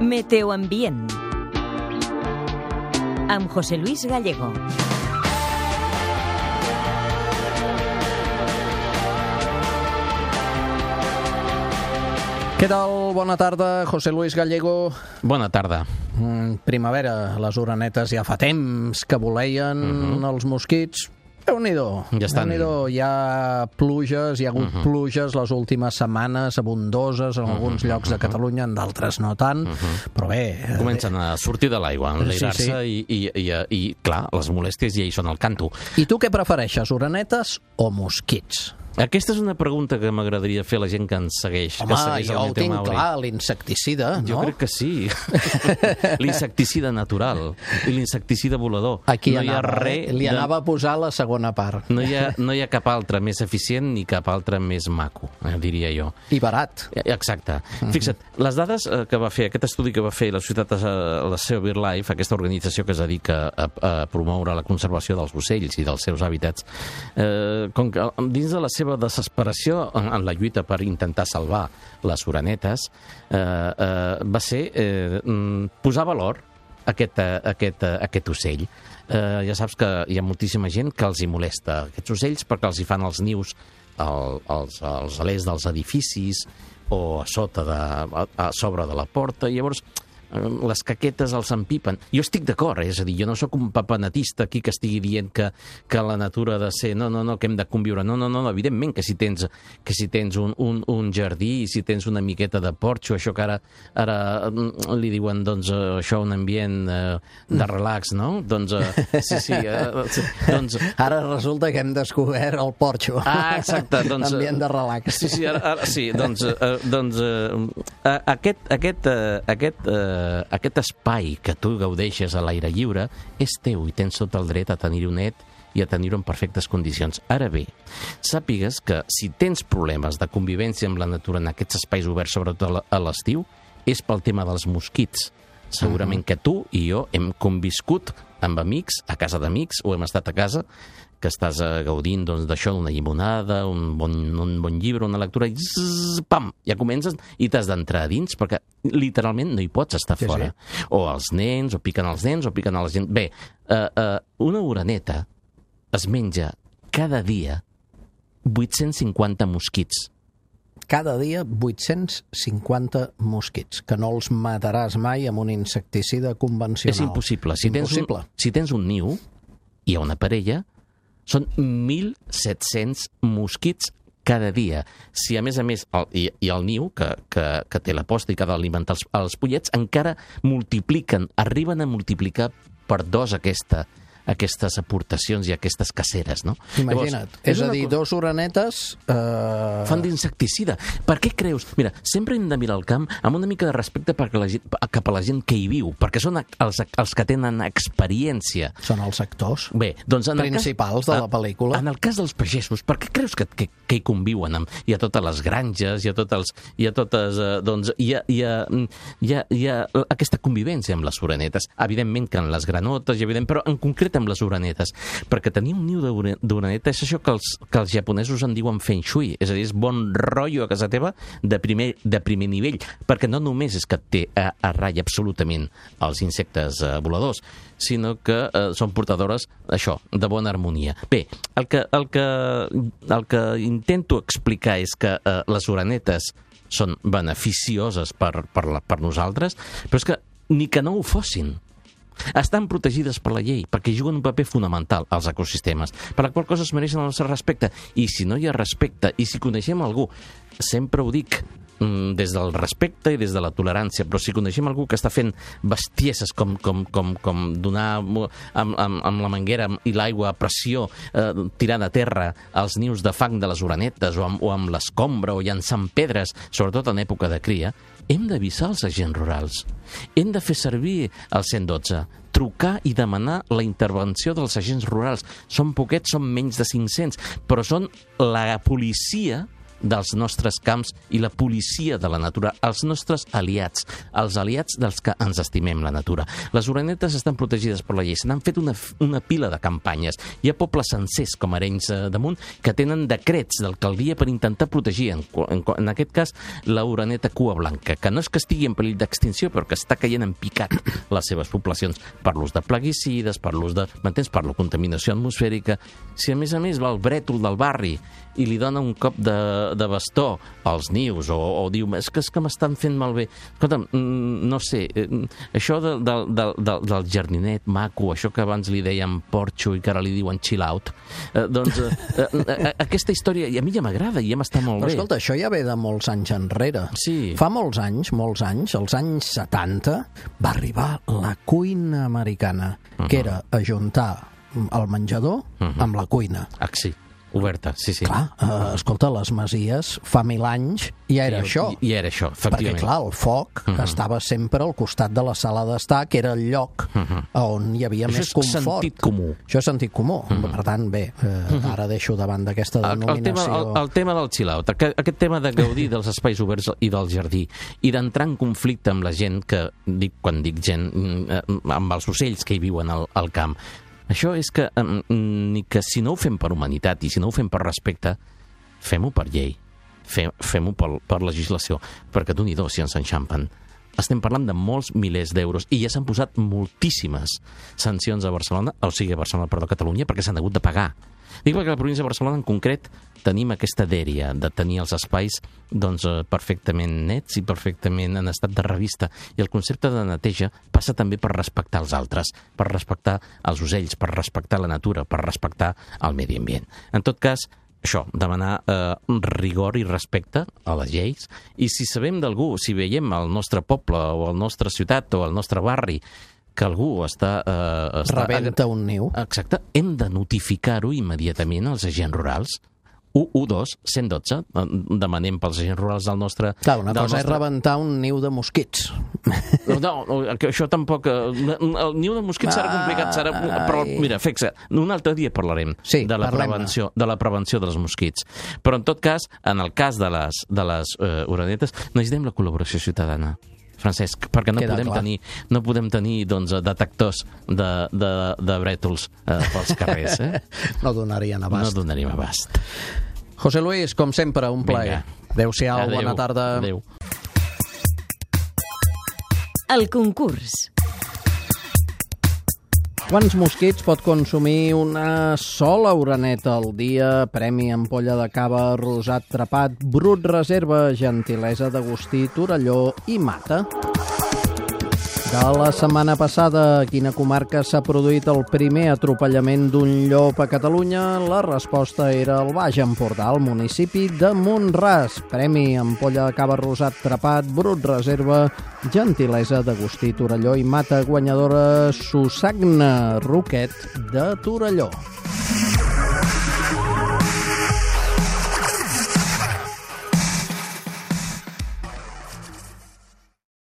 Meteoambient amb José Luis Gallego. Què tal? Bona tarda, José Luis Gallego. Bona tarda. Primavera, les orenetes ja fa temps que voleien els mosquits. Déu-n'hi-do. Ja estan. Déu-n'hi-do. Hi ha pluges, hi ha hagut pluges les últimes setmanes, abundoses en alguns llocs de Catalunya, en d'altres no tant, però bé... Comencen a sortir de l'aigua, a enlairar-se i, clar, les molèsties ja hi són al canto. I tu què prefereixes, orenetes o mosquits? Aquesta és una pregunta que m'agradaria fer a la gent que ens segueix. Home, que segueix jo ho tinc clar, l'insecticida, no? Jo crec que sí. L'insecticida natural i l'insecticida volador. Aquí no anava, hi ha res li anava a posar la segona part. No hi ha cap altre més eficient ni cap altre més maco, diria jo. I barat. Exacte. Fixa't, les dades que va fer, aquest estudi que va fer la societat, la SEO BirdLife, aquesta organització que es dedica a promoure la conservació dels ocells i dels seus hàbitats, com que dins de la seva desesperació en la lluita per intentar salvar les orenetes, va ser posar valor a aquest ocell. Ja saps que hi ha moltíssima gent que els hi molesta aquests ocells perquè els hi fan els nius als alers dels edificis o a sobre de la porta, i llavors les caquetes els empipen. Jo estic d'acord, és a dir, jo no sóc un papanatista aquí que estigui dient que la natura ha de ser, no, que hem de conviure. No, evidentment que si tens un jardí, si tens una miqueta de porxo, això que ara li diuen, doncs, això un ambient de relax, no? Doncs, sí, doncs... Ara resulta que hem descobert el porxo. Ah, exacte, doncs... Ambient de relax. Sí, ara sí, doncs aquest espai que tu gaudeixes a l'aire lliure és teu i tens tot el dret a tenir-ho net i a tenir-ho en perfectes condicions. Ara bé, sàpigues que si tens problemes de convivència amb la natura en aquests espais oberts, sobretot a l'estiu, és pel tema dels mosquits. Segurament que tu i jo hem conviscut amb amics, a casa d'amics, o hem estat a casa, que estàs gaudint d'això, d'una llimonada, un bon llibre, una lectura, i pam, ja comences i t'has d'entrar a dins, perquè literalment no hi pots estar fora. Sí. O els nens, o piquen els nens, o piquen a la gent. Bé, una oreneta es menja cada dia 850 mosquits. Cada dia 850 mosquits, que no els mataràs mai amb un insecticida convencional. És impossible. Si tens un niu, hi ha una parella, són 1.700 mosquits cada dia. Si, a més, i el niu, que té la posta i que ha d'alimentar els pollets, encara multipliquen, arriben a multiplicar per 2 aquestes aportacions i aquestes caceres, no? Imagina't. Llavors, és a dir, 2 orenetes... fan d'insecticida. Per què creus? Mira, sempre hem de mirar el camp amb una mica de respecte cap a la gent que hi viu, perquè són els que tenen experiència. Són els actors principals de la pel·lícula. En el cas dels pagesos, per què creus que hi conviuen? Hi ha totes les granges, hi ha aquesta convivència amb les orenetes. Evidentment que en les granotes, però en concret amb les orenetes, perquè tenir un niu d'oreneta és això que els japonesos en diuen feng shui, és a dir, és bon rotllo a casa teva de primer nivell, perquè no només és que té a ratlla absolutament els insectes voladors, sinó que són portadores, això, de bona harmonia. Bé, el que intento explicar és que les orenetes són beneficioses per nosaltres, però és que ni que no ho fossin. Estan protegides per la llei, perquè juguen un paper fonamental als ecosistemes, per la qual cosa es mereixen el nostre respecte. I si no hi ha respecte, i si coneixem algú, sempre ho dic, des del respecte i des de la tolerància, però si coneixem algú que està fent bestieses com donar amb la manguera i l'aigua a pressió, tirant a terra els nius de fang de les orenetes o amb l'escombra o llançant pedres, sobretot en època de cria, hem d'avisar els agents rurals. Hem de fer servir el 112, trucar i demanar la intervenció dels agents rurals. Són poquets, són menys de 500, però són la policia dels nostres camps i la policia de la natura, els nostres aliats, els aliats dels que ens estimem la natura. Les orenetes estan protegides per la llei, se n'han fet una pila de campanyes. Hi ha pobles sencers, com Arenys de Munt, que tenen decrets d'alcaldia per intentar protegir, en aquest cas, l'oreneta cua blanca, que no és que estigui en perill d'extinció, però que està caient en picat les seves poblacions per l'ús de plaguicides, per l'ús de... m'entens? Per la contaminació atmosfèrica. Si a més va el brètol del barri i li dona un cop de bastó als nius, o diu, és que m'estan fent malbé. Escolta'm, no sé, això del jardinet maco, això que abans li deien porxo i que ara li diuen chill out, doncs aquesta història a mi ja m'agrada i ja m'està molt bé. Però escolta, això ja ve de molts anys enrere. Sí. Fa molts anys, als anys 70, va arribar la cuina americana, que era ajuntar el menjador amb la cuina. Sí. Oberta, sí. Clar, escolta, les masies fa 1000 anys ja era això. I era això, efectivament. Perquè, clar, el foc estava sempre al costat de la sala d'estar, que era el lloc on hi havia més confort. Això és sentit comú. Això és sentit comú. Per tant, bé, ara deixo davant d'aquesta denominació... El tema del chill-out, aquest tema de gaudir dels espais oberts i del jardí, i d'entrar en conflicte amb la gent que, quan dic gent, amb els ocells que hi viuen al camp. Això és que, ni que si no ho fem per humanitat i si no ho fem per respecte, fem-ho per llei, fem-ho per legislació, perquè d'un-i-do si ens enxampen. Estem parlant de molts milers d'euros i ja s'han posat moltíssimes sancions a Barcelona, a Catalunya, perquè s'han hagut de pagar. Dic perquè a la província de Barcelona en concret tenim aquesta dèria de tenir els espais perfectament nets i perfectament en estat de revista. I el concepte de neteja passa també per respectar els altres, per respectar els ocells, per respectar la natura, per respectar el medi ambient. En tot cas, això, demanar rigor i respecte a les lleis, i si sabem d'algú, si veiem al nostre poble o a la nostra ciutat o al nostre barri que algú està rebenta un niu. Exacte. Hem de notificar-ho immediatament als agents rurals. 112, 112, demanem pels agents rurals del nostre... Clar, una cosa és rebentar un niu de mosquits. No, això tampoc... El niu de mosquits serà complicat, però mira, fixa, un altre dia parlarem de la prevenció dels mosquits. Però en tot cas, en el cas de les orenetes, necessitem la col·laboració ciutadana. Francesc, perquè no podem tenir detectors de brètols pels carrers. No donarien abast. No donaríem abast. José Luis, com sempre, un plaer. Adéu-siau, bona tarda. Adéu. El concurs. Quants mosquits pot consumir una sola oreneta al dia? Premi ampolla de cava rosat trepat, brut reserva, gentilesa d'Agustí, Torelló i Mata. De la setmana passada, a quina comarca s'ha produït el primer atropellament d'un llop a Catalunya? La resposta era el Baix Empordà, al municipi de Mont-ras. Premi ampolla de cava rosat trepat, brut reserva, gentilesa d'Agustí, Torelló i Mata, guanyadora Susagna Roquet de Torelló.